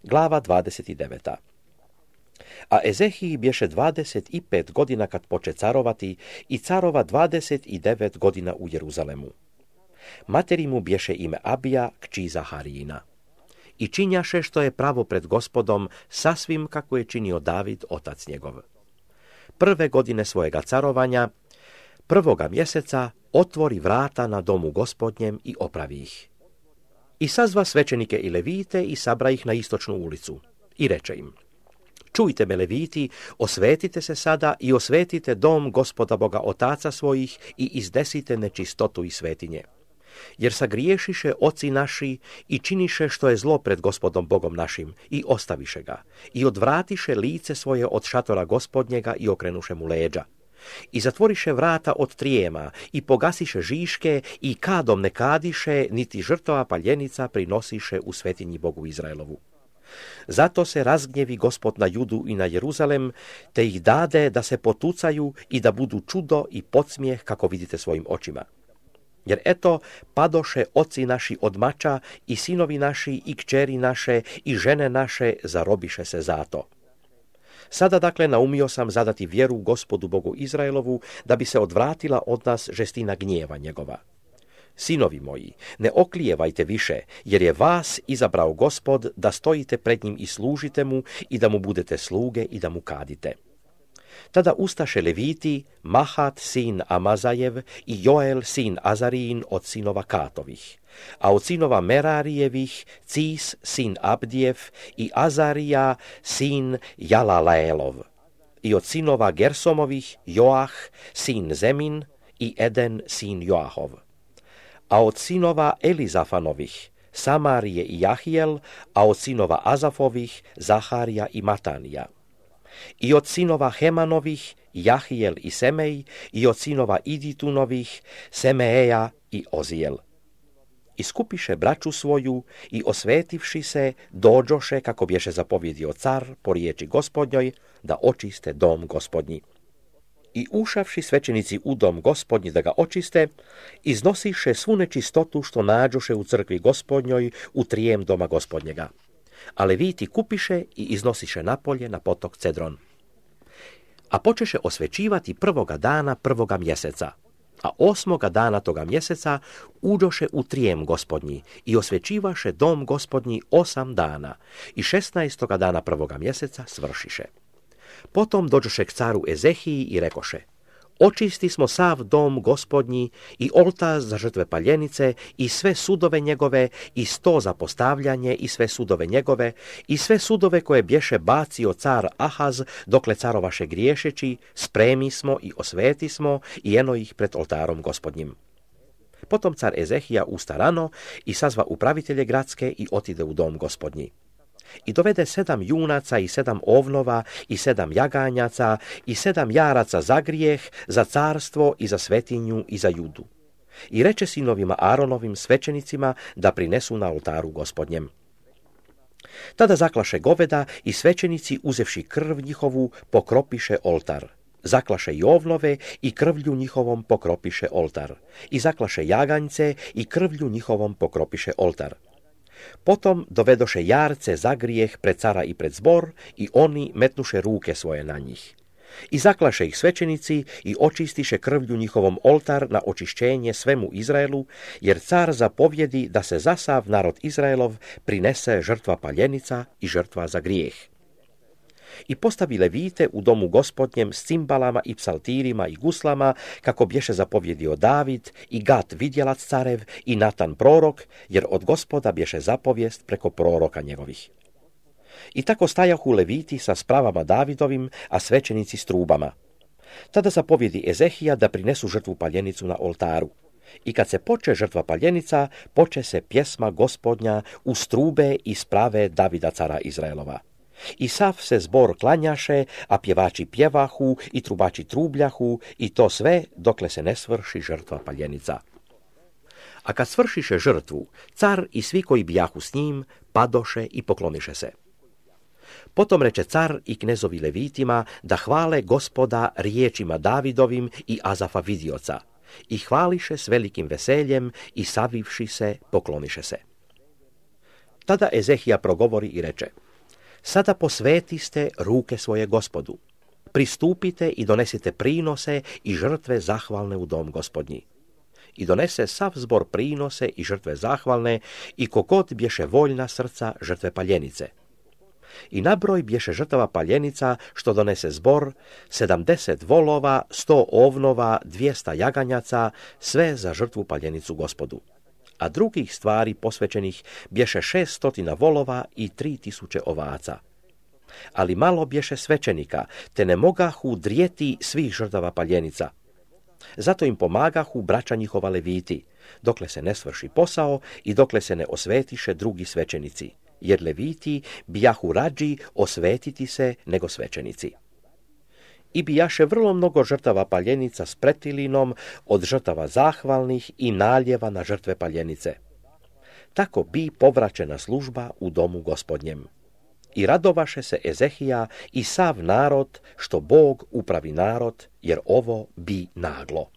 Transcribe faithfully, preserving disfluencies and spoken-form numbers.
Glava dvadeset devet. A Ezehiji bješe dvadeset pet godina kad poče carovati i carova dvadeset devet godina u Jeruzalemu. Materi mu bješe ime Abija, kći Zaharijina. I činjaše što je pravo pred Gospodom, sasvim kako je činio David, otac njegov. Prve godine svojega carovanja, prvoga mjeseca, otvori vrata na domu Gospodnjem i opravi ih. I sazva svećenike i levite i sabra ih na istočnu ulicu. I reče im: čujte me, leviti, osvetite se sada i osvetite dom Gospoda Boga otaca svojih i izdesite nečistotu i svetinje. Jer sagriješiše oci naši i činiše što je zlo pred Gospodom Bogom našim i ostaviše ga i odvratiše lice svoje od šatora Gospodnjega i okrenuše mu leđa. I zatvoriše vrata od trijema i pogasiše žiške i kadom ne kadiše, niti žrtova paljenica prinosiše u svetinji Bogu Izraelovu. Zato se razgnjevi Gospod na Judu i na Jeruzalem, te ih dade da se potucaju i da budu čudo i podsmijeh kako vidite svojim očima. Jer eto, padoše oci naši od mača i sinovi naši i kćeri naše i žene naše zarobiše se zato. Sada dakle naumio sam zadati vjeru Gospodu Bogu Izraelovu, da bi se odvratila od nas žestina gnjeva njegova. Sinovi moji, ne oklijevajte više, jer je vas izabrao Gospod da stojite pred njim i služite mu i da mu budete sluge i da mu kadite. Tada ustaše leviti, Mahat sin Amazajev i Joel sin Azarijin od sinova Katovih, a od sinova Merarijevih Cis sin Abdijev i Azarija sin Jalalaelov, i od sinova Gersomovih Joah sin Zemin i Eden sin Joahov, a od sinova Elizafanovih Samarije i Jahijel, a od sinova Azafovih Zaharija i Matanija. I od sinova Hemanovih Jahijel i Semej, i od sinova Iditunovih Semeeja i Ozijel. I skupiše braću svoju i osvetivši se dođoše, kako bješe zapovjedio car po riječi Gospodnjoj, da očiste dom Gospodnji. I ušavši svećenici u dom Gospodnji da ga očiste, iznosiše svu nečistotu što nađoše u crkvi Gospodnjoj u trijem doma Gospodnjega. A leviti kupiše i iznosiše napolje na potok Cedron. A počeše osvećivati prvoga dana prvoga mjeseca, a osmoga dana toga mjeseca uđoše u trijem Gospodnji i osvećivaše dom Gospodnji osam dana i šesnaestoga dana prvoga mjeseca svršiše. Potom dođoše k caru Ezehiji i rekoše: očisti smo sav dom Gospodnji i oltar za žrtve paljenice i sve sudove njegove i sto za postavljanje i sve sudove njegove i sve sudove koje bješe bacio car Ahaz dokle carovaše griješeći, spremi smo i osveti smo i eno ih pred oltarom Gospodnjim. Potom car Ezehija usta rano i sazva upravitelje gradske i otide u dom Gospodnji. I dovede sedam junaca i sedam ovnova i sedam jaganjaca i sedam jaraca za grijeh, za carstvo i za svetinju i za Judu. I reče sinovima Aaronovim svećenicima da prinesu na oltaru Gospodnjem. Tada zaklaše goveda i svećenici, uzevši krv njihovu, pokropiše oltar. Zaklaše i ovnove i krvlju njihovom pokropiše oltar. I zaklaše jaganjce i krvlju njihovom pokropiše oltar. Potom dovedoše jarce za grijeh pred cara i pred zbor i oni metnuše ruke svoje na njih. I zaklaše ih svećenici i očistiše krvlju njihovom oltar na očišćenje svemu Izraelu, jer car zapovjedi da se za sav narod Izraelov prinese žrtva paljenica i žrtva za grijeh. I postavi levite u domu Gospodnjem s cimbalama i psaltirima i guslama, kako bješe zapovjedio David i Gat vidjelac carev i Natan prorok, jer od Gospoda bješe zapovijest preko proroka njegovih. I tako stajahu leviti sa spravama Davidovim, a svećenici s trubama. Tada zapovjedi Ezehija da prinesu žrtvu paljenicu na oltaru. I kad se poče žrtva paljenica, poče se pjesma Gospodnja uz trube i sprave Davida cara Izraelova. I sav se zbor klanjaše, a pjevači pjevahu i trubači trubljahu, i to sve dokle se ne svrši žrtva paljenica. A kad svršiše žrtvu, car i svi koji bijahu s njim padoše i pokloniše se. Potom reče car i knezovi levitima da hvale Gospoda riječima Davidovim i Azafa vidioca, i hvališe s velikim veseljem i savivši se pokloniše se. Tada Ezehija progovori i reče: Sada posvetiste ruke svoje Gospodu. Pristupite i donesite prinose i žrtve zahvalne u dom Gospodnji. I donese sav zbor prinose i žrtve zahvalne i kogod bješe voljna srca žrtve paljenice. I nabroj bješe žrtava paljenica što donese zbor, sedamdeset volova, sto ovnova, dvijesta jaganjaca, sve za žrtvu paljenicu Gospodu. A drugih stvari posvećenih bješe šest stotina volova i tri tisuće ovaca. Ali malo bješe svećenika, te ne mogahu drijeti svih žrtava paljenica. Zato im pomagahu braća njihova leviti, dokle se ne svrši posao i dokle se ne osvetiše drugi svećenici, jer leviti bijahu rađi osvetiti se nego svećenici. I bijaše vrlo mnogo žrtava paljenica s pretilinom od žrtava zahvalnih i naljeva na žrtve paljenice. Tako bi povraćena služba u domu Gospodnjem. I radovaše se Ezehija i sav narod, što Bog upravi narod, jer ovo bi naglo.